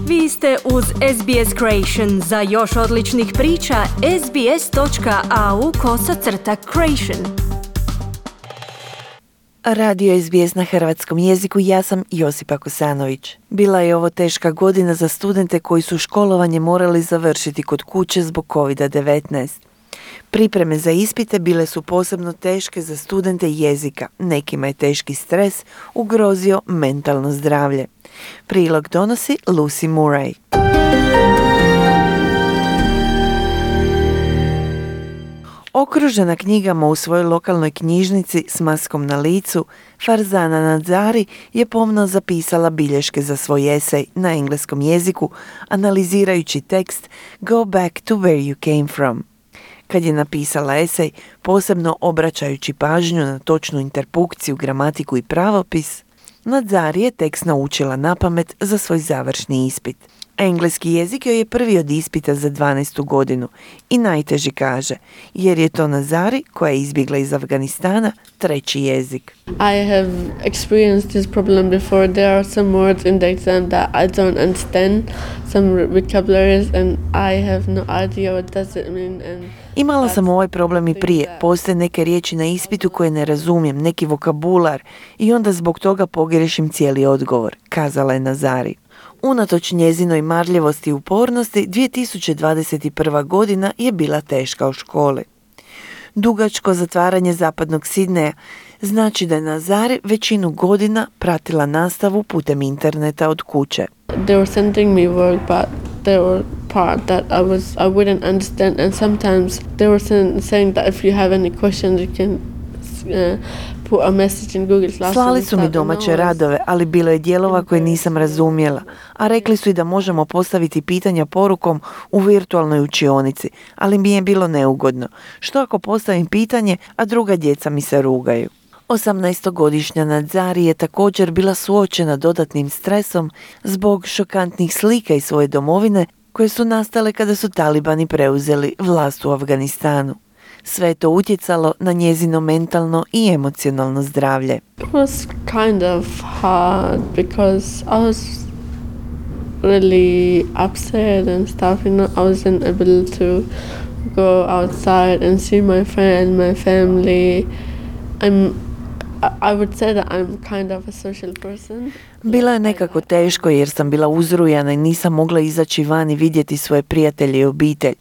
Vi ste uz SBS Creation. Za još odličnih priča, sbs.au/creation. Radio SBS na hrvatskom jeziku, ja sam Josipa Kosanović. Bila je ovo teška godina za studente koji su školovanje morali završiti kod kuće zbog COVID-19. Pripreme za ispite bile su posebno teške za studente jezika. Nekima je teški stres ugrozio mentalno zdravlje. Prilog donosi Lucy Murray. Okružena knjigama u svojoj lokalnoj knjižnici s maskom na licu, Farzana Nazari je pomno zapisala bilješke za svoj esej na engleskom jeziku, analizirajući tekst Go back to where you came from. Kad je napisala esej, posebno obraćajući pažnju na točnu interpunkciju, gramatiku i pravopis, Nazari je tekst naučila napamet za svoj završni ispit. Engleski jezik joj je prvi od ispita za 12. godinu i najteži, kaže, jer je to Nazari, koja je izbjegla iz Afganistana, treći jezik. I have experienced this problem before. There are some words in the exam that I don't understand, some vocabularies, and I have no idea what does it mean. Imala sam ovaj problem i prije. Postoje neke riječi na ispitu koje ne razumijem, neki vokabular, i onda zbog toga pogriješim cijeli odgovor, kazala je Nazari. Unatoč njezinoj marljivosti i upornosti, 2021. godina je bila teška u školi. Dugačko zatvaranje zapadnog Sidneja znači da je Nazari većinu godina pratila nastavu putem interneta od kuće. They were sending me work, but there were part that I wouldn't understand, and sometimes they were saying that if you have any questions you can put a message in Google Classroom. Slali su mi domaće radove, ali bilo je dijelova koje nisam razumjela, a rekli su i da možemo postaviti pitanja porukom u virtualnoj učionici, ali mi je bilo neugodno. Što ako postavim pitanje, a druga djeca mi se rugaju? 18-godišnja Nazari je također bila suočena dodatnim stresom zbog šokantnih slika iz svoje domovine koje su nastale kada su talibani preuzeli vlast u Afganistanu. Sve je to utjecalo na njezino mentalno i emocionalno zdravlje. It was kind of hard because I was really upset and stuff, you know. I wasn't able to go outside and see my friend, my family. I would say that I'm kind of a social person. Bilo je nekako teško jer sam bila uzrujana i nisam mogla izaći van i vidjeti svoje prijatelje i obitelj.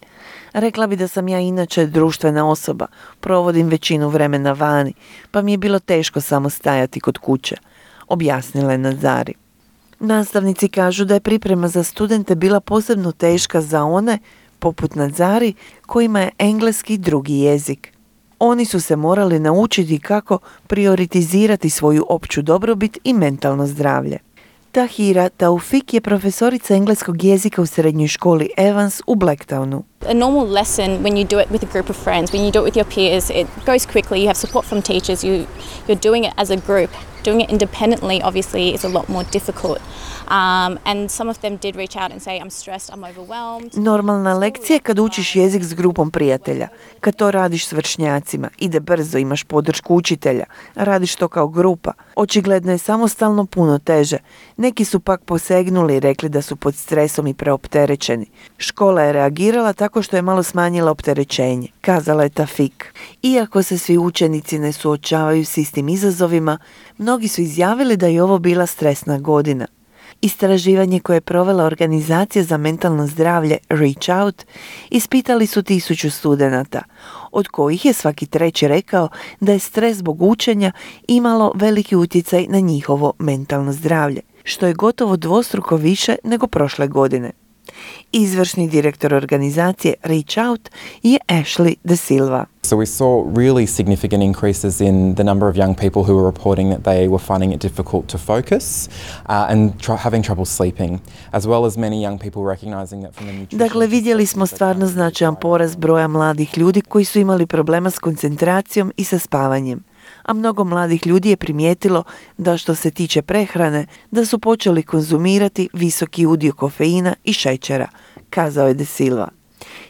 Rekla bi da sam ja inače društvena osoba, provodim većinu vremena vani, pa mi je bilo teško samo stajati kod kuće, objasnila je Nazari. Nastavnici kažu da je priprema za studente bila posebno teška za one, poput Nazari, kojima je engleski drugi jezik. Oni su se morali naučiti kako prioritizirati svoju opću dobrobit i mentalno zdravlje. Tahira Taufik je profesorica engleskog jezika u srednjoj školi Evans u Blacktownu. A normal lesson, when you do it with a group of friends, when you do it with your peers, it goes quickly, you have support from teachers, you're doing it as a group. Doing it independently, obviously, is a lot more difficult. And some of them did reach out and say, I'm stressed, I'm overwhelmed. Normalna lekcija je kad učiš jezik s grupom prijatelja. Kad to radiš s vršnjacima, ide brzo, imaš podršku učitelja, radiš to kao grupa. Očigledno je samostalno puno teže. Neki su pak posegnuli i rekli da su pod stresom i preopterećeni. Škola je reagirala tako što je malo smanjila opterećenje, kazala je Tafik. Iako se svi učenici ne suočavaju s istim izazovima, mnogi su izjavili da je ovo bila stresna godina. Istraživanje koje je provela Organizacija za mentalno zdravlje Reach Out ispitali su 1000 studenata, od kojih je svaki treći rekao da je stres zbog učenja imalo veliki utjecaj na njihovo mentalno zdravlje, što je gotovo dvostruko više nego prošle godine. Izvršni direktor organizacije Reach Out je Ashley De Silva. So we saw really significant increases in the number of young people who were reporting that they were finding it difficult to focus and having trouble sleeping, as well as many young people recognizing that from the nutrition. Dakle, vidjeli smo stvarno značajan porast broja mladih ljudi koji su imali problema s koncentracijom i sa spavanjem. A mnogo mladih ljudi je primijetilo da što se tiče prehrane, da su počeli konzumirati visoki udio kofeina i šećera, kazao je De Silva.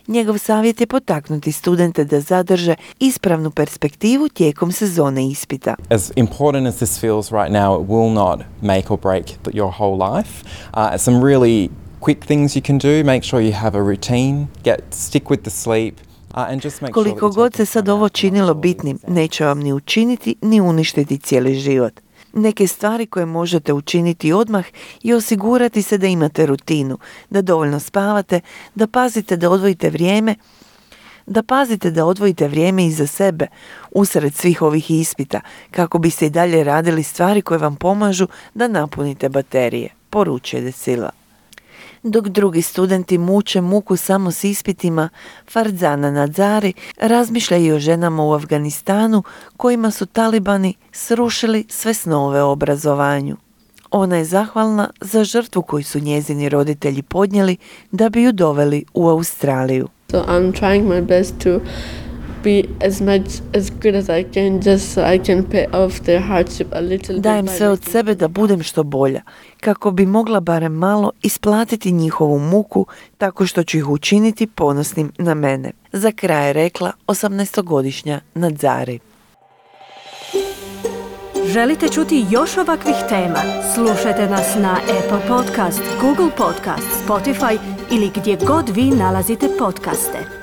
Njegov savjet je potaknuti studente da zadrže ispravnu perspektivu tijekom sezone ispita. As important as this feels right now, it will not make or break your whole life. Some really quick things you can do. Make sure you have a routine. Stick with the sleep. And just make sure Koliko that you god take se sad time ovo out to činilo make sure bitnim, that you're neće vam ni učiniti ni uništiti cijeli život. Neke stvari koje možete učiniti odmah i osigurati se da imate rutinu, da dovoljno spavate, da pazite da odvojite vrijeme iza sebe usred svih ovih ispita kako biste i dalje radili stvari koje vam pomažu da napunite baterije, poručuje De Silva. Dok drugi studenti muče muku samo s ispitima, Farzana Nazari razmišlja i o ženama u Afganistanu kojima su talibani srušili sve snove o obrazovanju. Ona je zahvalna za žrtvu koju su njezini roditelji podnijeli da bi ju doveli u Australiju. So I'm trying my best to be as good as I can, just so I can pay off their hardship a little bit. Dajem by sve od making sebe da budem što bolja, kako bi mogla barem malo isplatiti njihovu muku tako što ću ih učiniti ponosnim na mene. Za kraj je rekla 18-godišnja Nazari. Želite čuti još ovakvih tema? Slušajte nas na Apple Podcast, Google Podcast, Spotify ili gdje god vi nalazite podcaste.